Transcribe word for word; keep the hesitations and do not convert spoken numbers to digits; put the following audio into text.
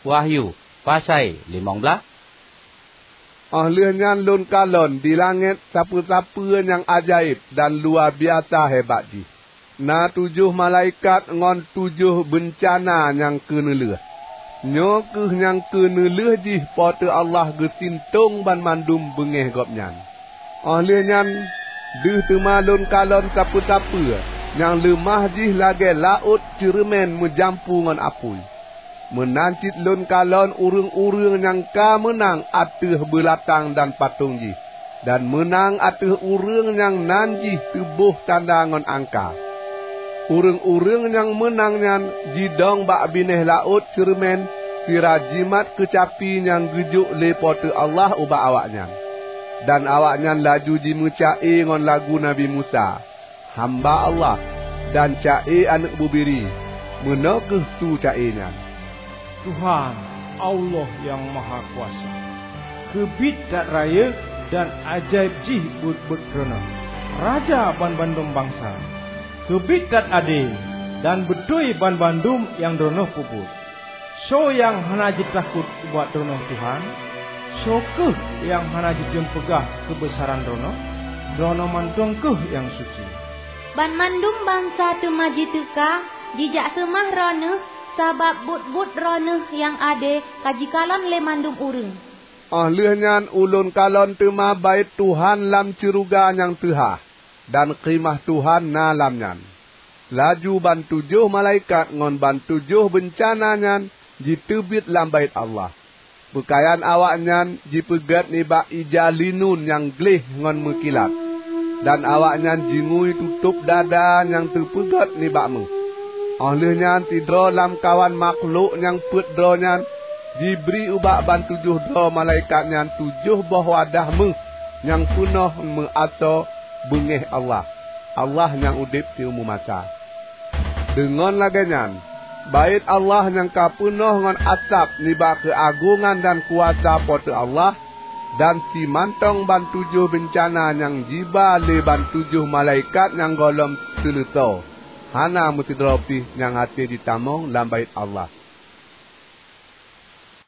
Wahyu, pasai limong blaih. Óh lheueh nyan lôn kalon di langét sapeue-sapeue nyang ajaéb dan luwa biasa hebat jih. Na tujoh malaikat ngon tujoh beuncana nyang keuneulheueh. Nyoe kheueh nyang keuneulheueh jih Po teu Allah geusintong banmandum beungéh Gobnyan. Óh lheueh nyan deuh teuma lôn kalon sapeue-sapeue nyang leumah jih lagée laôt ceureumen meujampu ngon apui. Meunan cit lôn kalon ureuëng-ureuëng nyang ka meunang ateueh beulatang dan patong jih, dan meunang ateueh ureuëng nyang nan jih teuboh tanda ngon angka. Ureuëng-ureuëng nyang meunang nyan jidong bak binéh laôt ceureumen sira jimat keucapi nyang geujok lé Po teu Allah ubak awaknyan. Dan awaknyan laju jimeuca-e ngon lagu Nabi Musa, hamba Allah, dan ca-e Aneuëk Bubiri. Meunoe kheueh su ca-e nyan, "Tuhan, Allah Nyang Mahakuasa! Keubiet that rayeuk dan ajaéb jih buet-buet Droeneueh, Raja banmandum bansa! Keubiet that ade dan beutôi banmandum nyang Droeneueh peubuet! Soe nyang hana jitakot ubak Droeneueh, Tuhan? Soe kheueh nyang hana jitém peugah keubeusaran Droeneueh? Droeneueh mantong kheueh nyang suci!" Banmandum bansa teuma jiteuka jijak seumah Droeneueh sabab buet-buet Droeneueh nyang ade ka jikalon lé mandum ureuëng. Óh lheueh nyan ulôn kalon teuma Baét Tuhan lam syeuruga nyang teuhah, dan Kheumah Tuhan na lam nyan. Laju bantujoh malaikat ngon bantujoh beuncana nyan jiteubiet lam Baét Allah. Peukayan awaknyan jipeugét nibak ija linun nyang gleh ngon meukilat, dan awaknyan jingui tutôb dada nyang teupeugét nibak méuh. Óh lheueh nyan sidroe lamkawan makhlok nyang peuet droe nyan jibri ubak bantujoh droe malaikat nyan tujoh boh wadah méuh nyang peunoh meuasoe beungéh Allah, Allah nyang udeb siumu masa. Deungon lagée nyan, Baét Allah nyang ka peunoh ngon asab nibak keuagongan dan kuasa Po teu Allah, dan simantong bantujoh beuncana nyang jiba lé bantujoh malaikat nyang gohlom seuleusoe, hana meusidroe pih nyang hase jitamong lam Baét Allah.